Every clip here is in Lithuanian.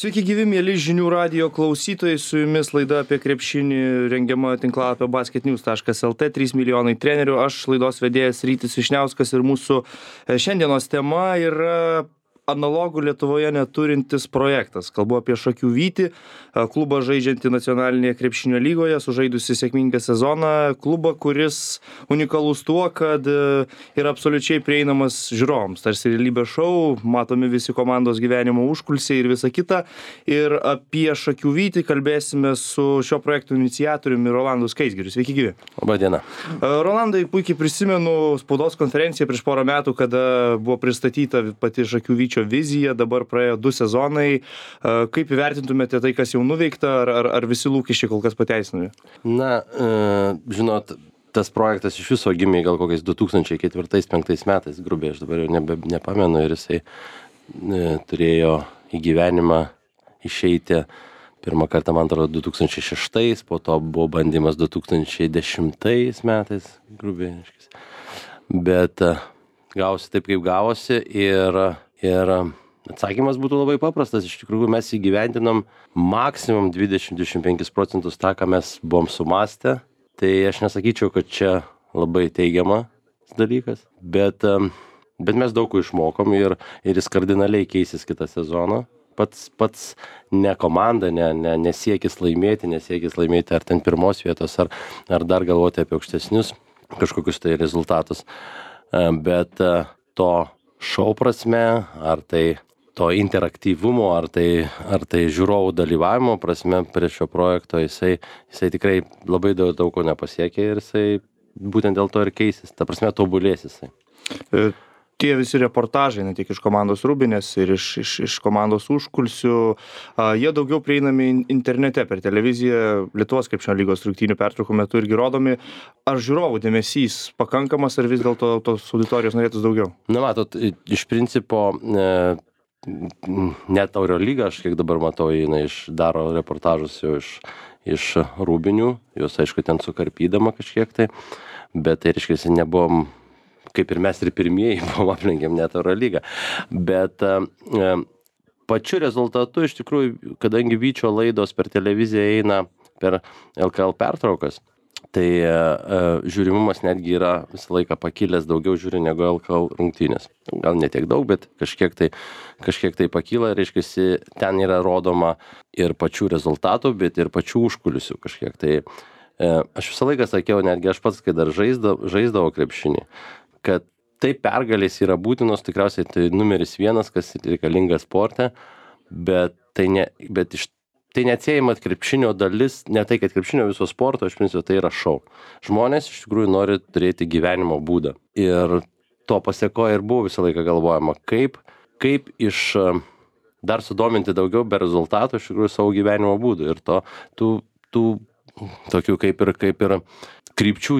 Sveiki gyvi, mėly žinių radijo klausytojai, su jumis laida apie krepšinį rengiama tinklalapio basketnews.lt, 3 milijonai trenerių, aš laidos vedėjas Rytis Vyšniauskas ir mūsų šiandienos tema yra analogų Lietuvoje neturintis projektas. Kalbu apie Šakių Vytį, klubą žaidžiantį nacionalinėje krepšinio lygoje, sužaidusi sėkmingą sezoną, klubą, kuris unikalus tuo, kad yra absoliučiai prieinamas žiūrovams. Tarsi realybės šou, matomi visi komandos gyvenimo užkulisiai ir visa kita. Ir apie Šakių Vytį kalbėsime su šio projekto iniciatoriumi Rolandu Skaisgiriu. Sveiki gyvi. Labą dieną. Rolandai, puikiai prisimenu spaudos konferenciją prieš porą metų, kada buvo pristatyta pati Šakių Vyčio vizija, dabar praėjo 2 sezonai. Kaip įvertintumėte tai, kas jau nuveikta, ar visi lūkesčiai kol kas pateisinami? Na, žinot, tas projektas iš viso gimė gal kokiais 2004-2005 metais, grubiai, aš dabar jau nepamenu, ir jisai turėjo į gyvenimą išeiti pirmą kartą, man atrodo, 2006, po to buvo bandymas 2010 metais, grubiai, bet gavosi taip, kaip gavosi, ir atsakymas būtų labai paprastas. Iš tikrųjų, mes įgyvendinom maksimum 20-25% tą, ką mes buvom sumastę. Tai aš nesakyčiau, kad čia labai teigiamas dalykas, bet mes daug ko išmokom ir jis kardinaliai keisis kitą sezoną. Pats ne komanda, nesiekis laimėti ar ten pirmos vietos, ar dar galvoti apie aukštesnius kažkokius tai rezultatus. Bet to šou prasme, ar tai to interaktyvumo, ar tai žiūrovų dalyvavimo prasme prie šio projekto, jisai tikrai labai daug ko nepasiekė ir jisai būtent dėl to ir keisis. Ta prasme, tobulės jisai. Tie visi reportažai, ne tik iš komandos Rūbinės ir iš komandos užkulisių, jie daugiau prieinami internete, per televiziją, Lietuvos krepšinio lygos rungtynių pertraukų metu irgi rodomi. Ar žiūrovų dėmesys pakankamas, ar vis dėlto tos auditorijos norėtųs daugiau? Na, matot, iš principo, net Eurolyga, aš kiek dabar matau, jinai daro reportažus jau iš Rūbinių, jos aišku ten sukarpydama kažkiek tai, bet tai reiškia, nebuvom, kaip ir mes ir pirmieji buvom, aplenkėm net Eurolygą. Bet pačiu rezultatu, iš tikrųjų, kadangi Vyčio laidos per televiziją eina per LKL pertraukas, tai žiūrimumas netgi yra visą laiką pakilęs, daugiau žiūri negu LKL rungtynės. Gal ne tiek daug, bet kažkiek tai pakyla, reiškia, ten yra rodoma ir pačių rezultatų, bet ir pačių užkulisių kažkiek. Tai aš visą laiką sakiau, netgi aš pats, kai dar žaisdavau krepšinį, kad tai pergalės yra būtinos, tikriausiai tai numeris 1, kas reikalinga sporte, bet tai neatsiejama krepšinio dalis, ne tai, kad krepšinio viso sporto, iš principo tai yra šou. Žmonės iš tikrųjų nori turėti gyvenimo būdą. Ir to pasiekoje ir buvo visą laiką galvojama, kaip iš dar sudominti daugiau be rezultatų iš tikrųjų savo gyvenimo būdų. Ir tų tokių kaip ir krypčių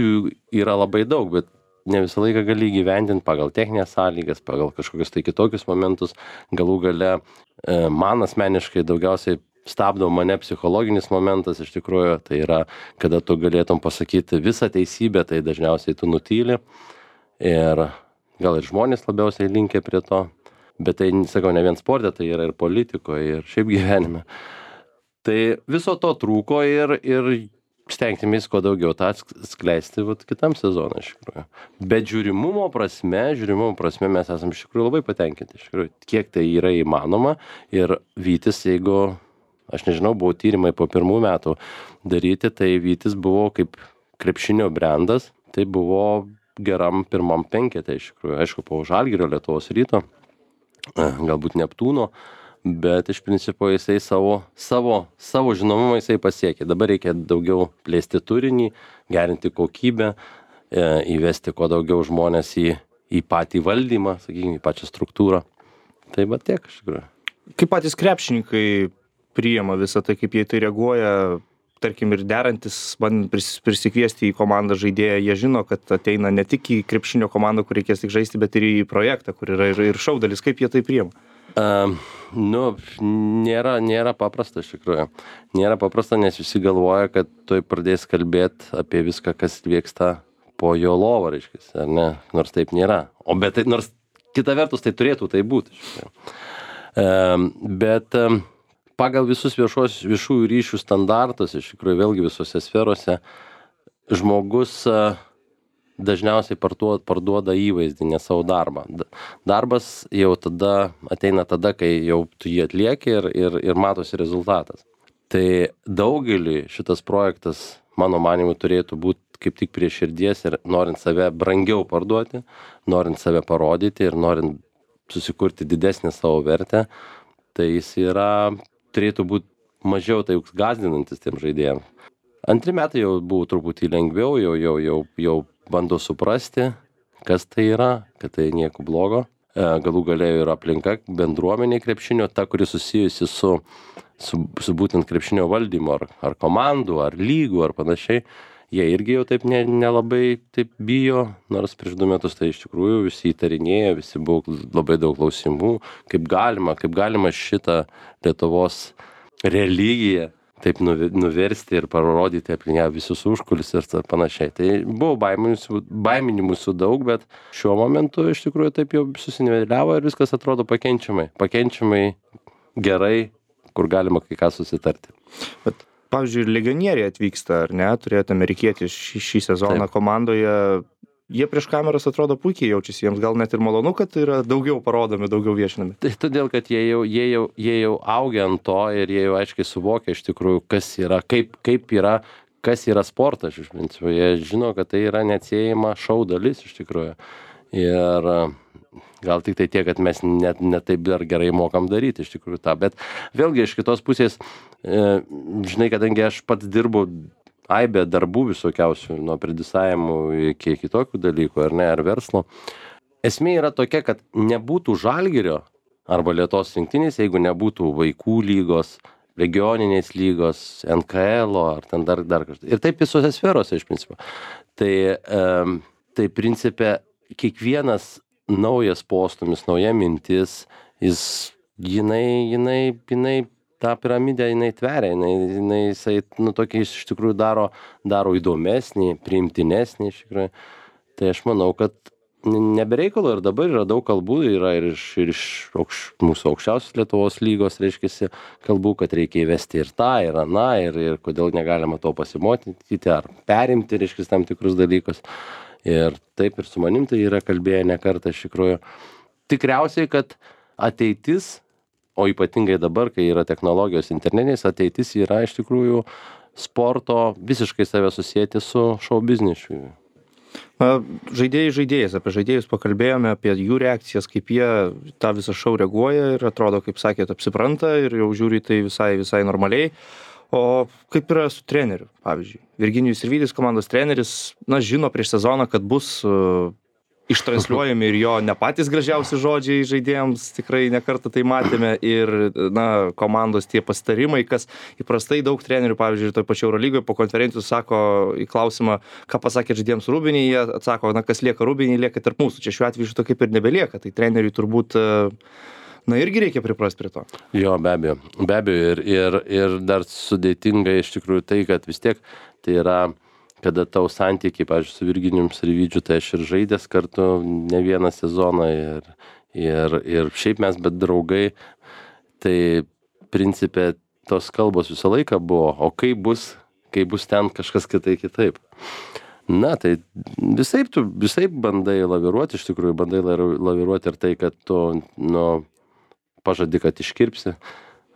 yra labai daug, bet ne visą laiką gali įgyvendinti pagal techninės sąlygas, pagal kažkokius tai kitokius momentus. Galų gale man asmeniškai daugiausiai stabdo mane psichologinis momentas, iš tikrųjų, tai yra, kada tu galėtum pasakyti visą teisybę, tai dažniausiai tu nutyli. Ir gal ir žmonės labiausiai linkia prie to, bet tai, sakau, ne vien sporte, tai yra ir politikoje, ir šiaip gyvenime. Tai viso to trūko ir stengtimės kuo daugiau tą skleisti kitam sezonui, iš tikrųjų. Bet žiūrimumo prasme mes esame iš tikrųjų labai patenkinti, iš tikrųjų, kiek tai yra įmanoma. Ir Vytis, jeigu, aš nežinau, buvo tyrimai po 1 metų daryti, tai Vytis buvo kaip krepšinio brandas, tai buvo geram 1 penkete, iš tikrųjų. Aišku, po Žalgirio, Lietuvos Ryto, galbūt Neptūno, bet iš principo jisai savo žinomumą jisai pasiekė. Dabar reikia daugiau plėsti turinį, gerinti kokybę, įvesti kuo daugiau žmonės į patį valdymą, sakykime, į pačią struktūrą. Tai va tiek, iš tikrųjų. Kaip patys krepšininkai priima visą tai, kaip jie tai reaguoja, tarkim, ir derantis, bandant prisikviesti į komandą žaidėją, jie žino, kad ateina ne tik į krepšinio komandą, kur reikės tik žaisti, bet ir į projektą, kur yra ir šou dalis. Kaip jie tai priima? Nėra paprasta, iš tikrųjų. Nėra paprasta, nes visi galvoja, kad tuoj pradės kalbėti apie viską, kas vyksta po jo lovą, reiškia, ar ne? Nors taip nėra. Bet nors kita vertus tai turėtų tai būti. Bet pagal visus viešųjų ryšių standartus, iš tikrųjų vėlgi visose sferose, žmogus dažniausiai parduoda įvaizdį, ne savo darbą. Darbas jau ateina tada, kai jau tu jį atlieki ir matosi rezultatas. Tai daugeliui šitas projektas, mano manimu, turėtų būti kaip tik prie širdies ir norint save brangiau parduoti, norint save parodyti ir norint susikurti didesnę savo vertę, tai jis turėtų būti mažiau tai gąsdinantis tiem žaidėjams. Antri metai jau buvo truputį lengviau, jau bando suprasti, kas tai yra, kad tai nieko blogo. Galų galėjo ir aplinka, bendruomenė krepšinio, ta, kuri susijusi su būtent krepšinio valdymu, ar komandų, ar lygų, ar panašiai. Jie irgi jau taip nelabai taip bijo, nors prieš 2 metus tai iš tikrųjų visi įtarinėjo, visi buvo labai daug klausimų, kaip galima šitą Lietuvos religiją taip nuversti ir parodyti aplink ją visus užkulisius ir panašiai. Tai buvo baiminimų daug, bet šiuo momentu iš tikrųjų taip jau susiniveliavo ir viskas atrodo pakenčiamai gerai, kur galima kai ką susitarti. Bet, pavyzdžiui, legionieriai atvyksta, ar ne? Turėjote amerikietį šį sezoną komandoje. Jie prieš kameras atrodo puikiai jaučiasi, jiems gal net ir malonu, kad yra daugiau parodomi, daugiau viešinami. Tai todėl, kad jie jau augia ant to ir jie jau aiškiai suvokia iš tikrųjų, kas yra, kas yra sportas iš principo. Jie žino, kad tai yra neatsiejama šou dalis iš tikrųjų. Ir gal tik tai tiek, kad mes net taip dar gerai mokam daryti iš tikrųjų tą. Bet vėlgi iš kitos pusės, žinai, kadangi aš pats dirbu aibė darbų visokiausių, nuo predisavimų iki kitokių dalykų, ar verslo. Esmė yra tokia, kad nebūtų Žalgirio arba Lietuvos rinktinės, jeigu nebūtų vaikų lygos, regioninės lygos, NKL ar ten dar kažkas. Ir taip visose sferose iš principo. Tai principe kiekvienas naujas postumis, nauja mintis, jinai tą piramidę jinai tveria, jisai tokį iš tikrųjų daro įdomesnį, priimtinesnį iš tikrųjų. Tai aš manau, kad nebereikalo ir dabar yra daug kalbų, yra ir iš mūsų aukščiausios Lietuvos lygos, reiškiasi, kalbų, kad reikia įvesti ir tą, ir aną, ir kodėl negalima to pasimokyti, ar perimti, reiškiasi, tam tikrus dalykus. Ir taip ir su manim tai yra kalbėję ne kartą iš tikrųjų. Tikriausiai, kad ateitis, o ypatingai dabar, kai yra technologijos internetinės, ateitis yra iš tikrųjų sporto visiškai save susijęti su šou biznišu. Žaidėjais, apie žaidėjus pakalbėjome, apie jų reakcijas, kaip jie tą visą šou reaguoja ir atrodo, kaip sakėt, apsipranta ir jau žiūri tai visai normaliai. O kaip yra su treneriu, pavyzdžiui? Virginijus Sirvydis, komandos treneris, žino prieš sezoną, kad bus ištransliuojami ir jo ne patys gražiausi žodžiai žaidėjams, tikrai nekartą tai matėme, ir komandos tie pasitarimai, kas įprastai daug trenerių, pavyzdžiui, toj pačioj Eurolygoje po konferencijų sako į klausimą, ką pasakė žaidėjams Rūbinėje, jie atsako, kas lieka Rūbinėje, lieka tarp mūsų. Čia šiuo atveju šito kaip ir nebelieka, tai treneriui turbūt irgi reikia priprasti prie to. Jo, be abejo, ir dar sudėtinga iš tikrųjų tai, kad vis tiek tai yra, kada tau santykiai, pavyzdžiui, su Virginijum Sirvydžiu, tai aš ir žaidęs kartu ne vieną sezoną ir šiaip mes, bet draugai, tai principė tos kalbos visą laiką buvo, o kai bus ten kažkas kitaip. Na, tai visaip bandai laviruoti, iš tikrųjų bandai laviruoti ir tai, kad tu, pažadi, kad iškirpsi,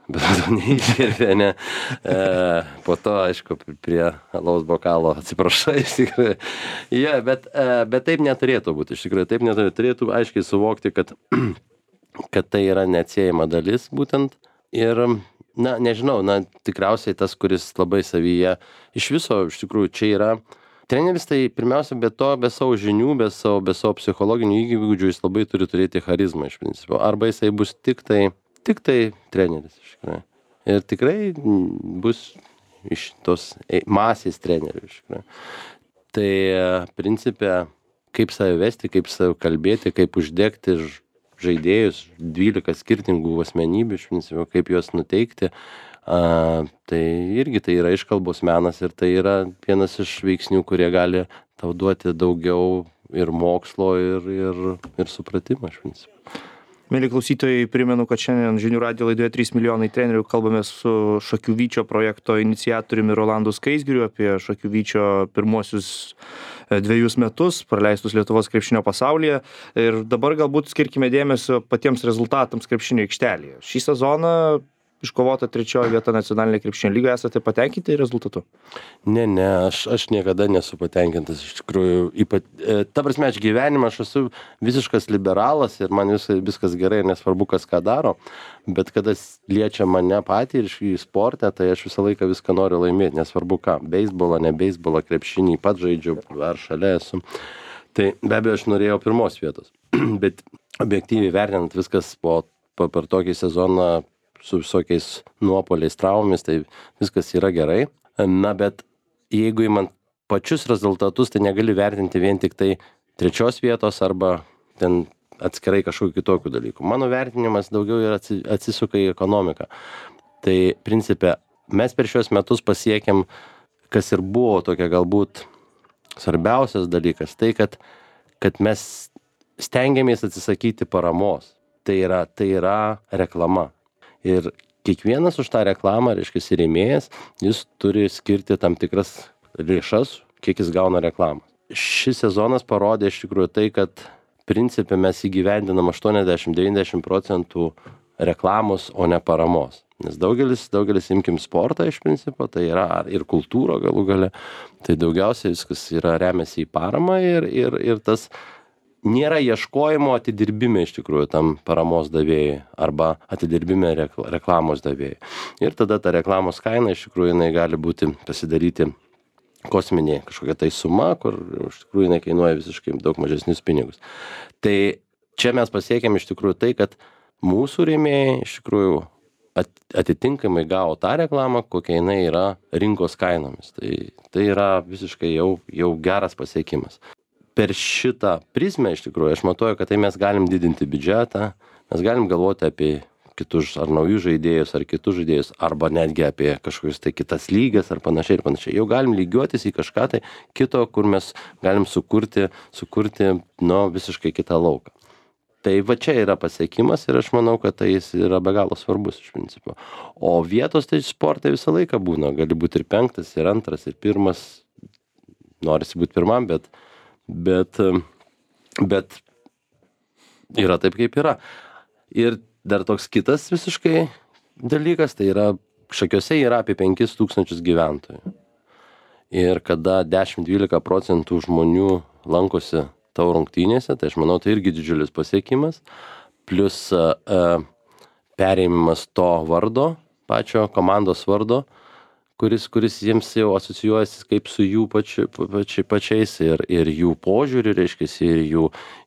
bet to neiškirpė, ne. Po to, aišku, prie alaus bokalo atsiprašai, iš tikrųjų. Ja, bet taip neturėtų būti, iš tikrųjų, taip neturėtų aiškiai suvokti, kad tai yra neatsiejama dalis būtent. Ir, nežinau, tikriausiai tas, kuris labai savyje, iš viso, iš tikrųjų, čia yra treneris, tai pirmiausia, be savo žinių, be savo psichologinių įgūdžių, jis labai turi turėti charizmą iš principo. Arba jisai bus tik tai treneris. Iš tikrųjų. Ir tikrai bus iš tos masės trenerių. Iš tikrųjų. Tai principė, kaip save vesti, kaip save kalbėti, kaip uždegti žaidėjus, 12 skirtingų asmenybių, iš principo, kaip juos nuteikti. Tai irgi tai yra iškalbos menas ir tai yra vienas iš veiksnių, kurie gali tau duoti daugiau ir mokslo ir supratimo, iš principo. Mieli klausytojai, primenu, kad šiandien Žinių radijo laidoje 3 milijonai trenerių kalbame su Šakių Vyčio projekto iniciatoriumi Rolandu Skaisgiriu apie Šakių Vyčio pirmuosius 2 metus praleistus Lietuvos krepšinio pasaulyje. Ir dabar galbūt skirkime dėmesio patiems rezultatams krepšinio aikštelėje. Šį sezoną iškovota 3 vieta nacionalinėje krepšinio lygoje. Esate patenkinti rezultatu? Ne, aš niekada nesu patenkintas, iš tikrųjų. Ta prasme, aš gyvenimą, aš esu visiškas liberalas ir man viskas gerai, nesvarbu, kas ką daro, bet kada liečia mane patį ir į sportą, tai aš visą laiką viską noriu laimėti, nesvarbu ką. Beisbolą, ne beisbolą, krepšinį, pats žaidžiu, ar šalia esu. Tai be abejo, aš norėjau 1 vietos, bet objektyviai vertinant viskas per tokį sezoną su visokiais nuopoliais, traumomis, tai viskas yra gerai. Na, bet jeigu įmant pačius rezultatus, tai negali vertinti vien tik tai 3 vietos arba ten atskirai kažkokių kitokių dalykų. Mano vertinimas daugiau yra atsisuka į ekonomiką. Tai principe, mes per šios metus pasiekėm, kas ir buvo tokia galbūt svarbiausias dalykas, tai kad mes stengiamės atsisakyti paramos. Tai yra reklama. Ir kiekvienas už tą reklamą, reiškia, rėmėjas, jis turi skirti tam tikras lėšas, kiek jis gauna reklamą. Šis sezonas parodė iš tikrųjų tai, kad principe mes įgyvendinam 80-90% reklamos, o ne paramos. Nes daugelis imkim sportą iš principo, tai yra ir kultūra galų gale, tai daugiausiai viskas yra remiasi į paramą ir tas nėra ieškojimo atidirbime iš tikrųjų tam paramos davėjai arba atidirbime reklamos davėjai. Ir tada ta reklamos kaina iš tikrųjų jinai gali būti pasidaryti kosminė kažkokia tai suma, kur iš tikrųjų jinai kainuoja visiškai daug mažesnius pinigus. Tai čia mes pasiekėm iš tikrųjų tai, kad mūsų rėmėjai iš tikrųjų atitinkamai gavo tą reklamą, kokia jinai yra rinkos kainomis. Tai yra visiškai jau geras pasiekimas. Per šitą prizmę iš tikrųjų aš matuoju, kad tai mes galim didinti biudžetą, mes galim galvoti apie kitus ar naujus žaidėjus, ar kitus žaidėjus, arba netgi apie kažkokius tai kitas lygas ar panašiai ir panašiai. Jau galim lygiuotis į kažką tai kito, kur mes galim sukurti visiškai kitą lauką. Tai va čia yra pasiekimas ir aš manau, kad tai jis yra be galo svarbus iš principo. O vietos tai sportai visą laiką būna, gali būti ir 5, ir 2, ir 1, norisi būti 1, bet yra taip, kaip yra. Ir dar toks kitas visiškai dalykas, tai yra, Šakiuose yra apie 5000 gyventojų. Ir kada 10-12% žmonių lankosi tavo rungtynėse, tai aš manau, tai irgi didžiulis pasiekimas. Plius perėmimas to vardo, pačio komandos vardo, kuris jiems jau asocijuojasi kaip su jų pačiais ir jų požiūriu, reiškia,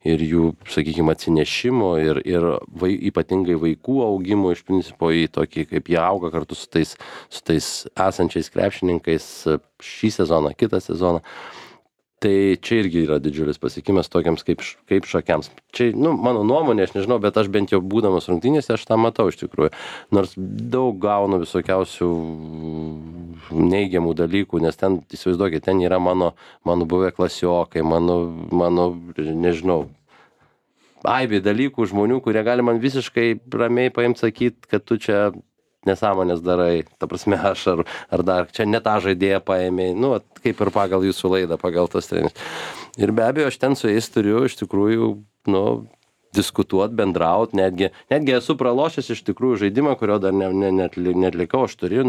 ir jų, sakykime, atsinešimo ir ypatingai vaikų augimo iš principo į tokį, kaip jie auga kartu su tais esančiais krepšininkais šį sezoną, kitą sezoną. Tai čia irgi yra didžiulis pasiekimas tokiams kaip Šakiams. Čia, mano nuomonė, aš nežinau, bet aš bent jau būdamas rungtynėse, aš tą matau iš tikrųjų. Nors daug gaunu visokiausių neigiamų dalykų, nes ten, įsivaizduokit, ten yra mano buvę klasiokai, mano, nežinau, aibė dalykų žmonių, kurie gali man visiškai ramiai paimti sakyti, kad tu čia nesąmonės darai, ta prasme aš ar dar čia ne tą žaidėją paėmė, kaip ir pagal jūsų laidą, pagal tos trenerius. Ir be abejo, aš ten su jais turiu iš tikrųjų, diskutuoti, bendrauti, netgi esu pralošęs iš tikrųjų žaidimą, kurio dar netlikau, aš turėjau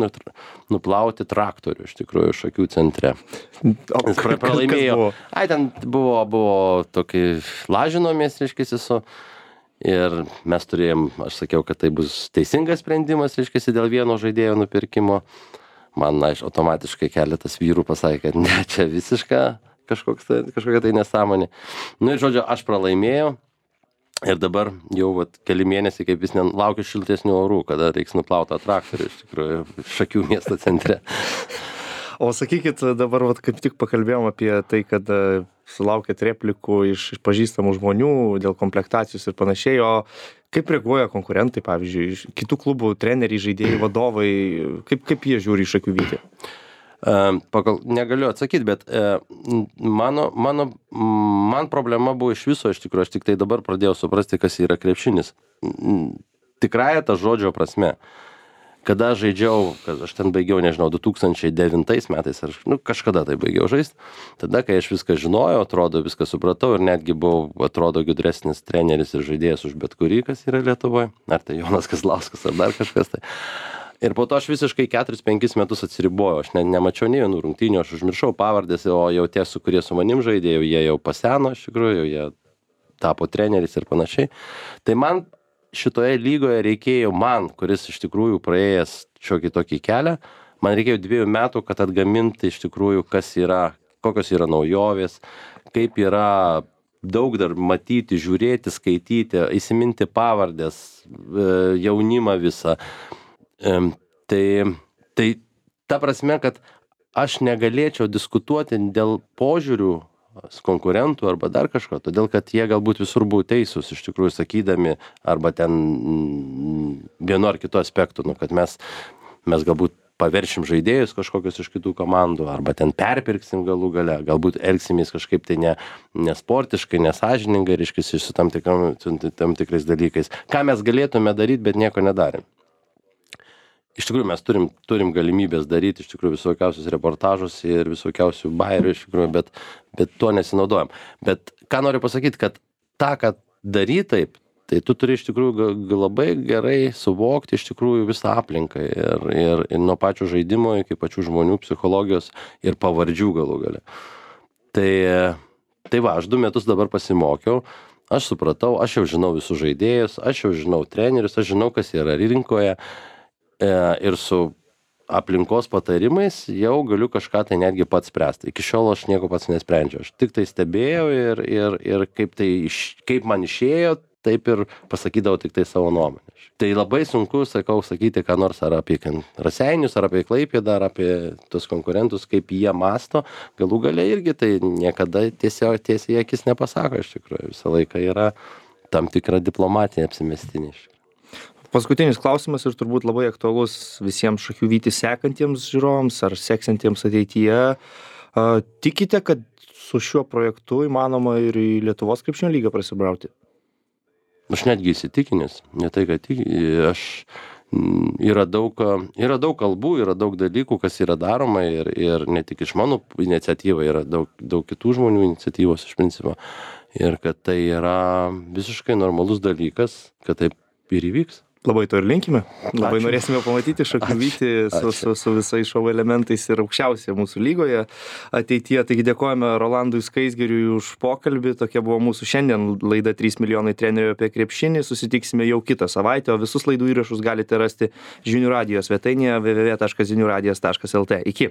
nuplauti traktorių iš tikrųjų Šakių centre. Nes pralaimėjau. Ten buvo tokį lažinomės, reiškia, su. Ir mes turėjom, aš sakiau, kad tai bus teisingas sprendimas, reiškia, dėl vieno žaidėjo nupirkimo. Man, automatiškai keletas vyrų pasakė, kad ne, čia visiška kažkokia tai nesąmonė. Ir žodžiu, aš pralaimėjau. Ir dabar jau keli mėnesiai, kaip vis laukiu šiltesnių orų, kada reiks nuplauti tą traktorių, iš tikrųjų, Šakių miesto centre. O sakykit, dabar kaip tik pakalbėjom apie tai, kad sulaukėt replikų iš pažįstamų žmonių dėl komplektacijos ir panašiai, o kaip reaguoja konkurentai, pavyzdžiui, kitų klubų treneriai, žaidėjai, vadovai, kaip jie žiūri į Šakių Vytį? Negaliu atsakyti, bet man problema buvo iš viso, iš tikrųjų, aš tik tai dabar pradėjau suprasti, kas yra krepšinis. Tikrąja ta žodžio prasme. Kada žaidžiau, kad aš ten baigiau, nežinau, 2009 metais, kažkada tai baigiau žaisti, tada, kai aš viską žinojau, atrodo, viską supratau ir netgi buvau, atrodo, gudresnis treneris ir žaidėjas už bet kurį, kas yra Lietuvoje, ar tai Jonas Kazlauskas, ar dar kažkas tai. Ir po to aš visiškai 4-5 metus atsiribojau, aš nemačiau nei vienų rungtynių, aš užmiršau pavardės, o jau tie, su kurie su manim žaidėjau, jie jau paseno, iš tikrųjų, jie tapo treneris ir panašiai. Tai man šitoje lygoje reikėjo kuris iš tikrųjų praėjęs šiokį tokį kelią, man reikėjo 2 metų, kad atgaminti iš tikrųjų, kokios yra naujovės, kaip yra daug dar matyti, žiūrėti, skaityti, įsiminti pavardės, jaunimą visą. Tai ta prasme, kad aš negalėčiau diskutuoti dėl požiūrių konkurentų arba dar kažko, todėl kad jie galbūt visur buvo teisūs, iš tikrųjų sakydami, arba ten vienu ar kitu aspektu, kad mes galbūt paveršim žaidėjus kažkokius iš kitų komandų, arba ten perpirksim galų gale, galbūt elgsimės kažkaip tai nesportiškai, nesąžiningai, reiškia, su tam tikrais dalykais. Ką mes galėtume daryti, bet nieko nedarėm. Iš tikrųjų, mes turim galimybės daryti iš tikrųjų visokiausius reportažus ir visokiausių bairių, iš tikrųjų, bet tuo nesinaudojam. Bet ką noriu pasakyti, kad tą, kad daryti taip, tai tu turi iš tikrųjų labai gerai suvokti iš tikrųjų visą aplinką ir nuo pačių žaidimo iki pačių žmonių psichologijos ir pavardžių galų gale. Tai va, aš 2 metus dabar pasimokiau, aš supratau, aš jau žinau visus žaidėjus, aš jau žinau trenerius, aš žinau, kas yra rinkoje. Ir su aplinkos patarimais jau galiu kažką tai netgi pats spręsti. Iki šiol aš nieko pats nesprendžiau. Aš tik tai stebėjau ir kaip man išėjo, taip ir pasakydavau tik tai savo nuomonę. Tai labai sunku, sakyti, ką nors ar apie Raseinius, ar apie Klaipėdą, ar apie tus konkurentus, kaip jie masto. Galų gale irgi tai niekada tiesiai akis nepasako, iš tikrųjų. Visą laiką yra tam tikra diplomatinė apsimestinė. Paskutinis klausimas ir turbūt labai aktualus visiems Šakių Vytį sekantiems žiūrovams ar seksantiems ateityje. Tikite, kad su šiuo projektu įmanoma ir į Lietuvos krepšinio lygą prasibrauti? Aš netgi įsitikinęs, ne tai, kad yra daug kalbų, yra daug dalykų, kas yra daroma ir ne tik iš mano iniciatyva, yra daug kitų žmonių iniciatyvos iš principo. Ir kad tai yra visiškai normalus dalykas, kad taip ir įvyks. Labai to ir linkime. Labai norėsime pamatyti Šakių Vytį su visais šou elementais ir aukščiausia mūsų lygoje ateityje. Taigi dėkojame Rolandui Skaisgiriui už pokalbį. Tokia buvo mūsų šiandien laida 3 milijonai trenerių apie krepšinį. Susitiksime jau kitą savaitę, o visus laidų įrašus galite rasti Žinių radijo svetainėje www.žiniuradijas.lt. Iki.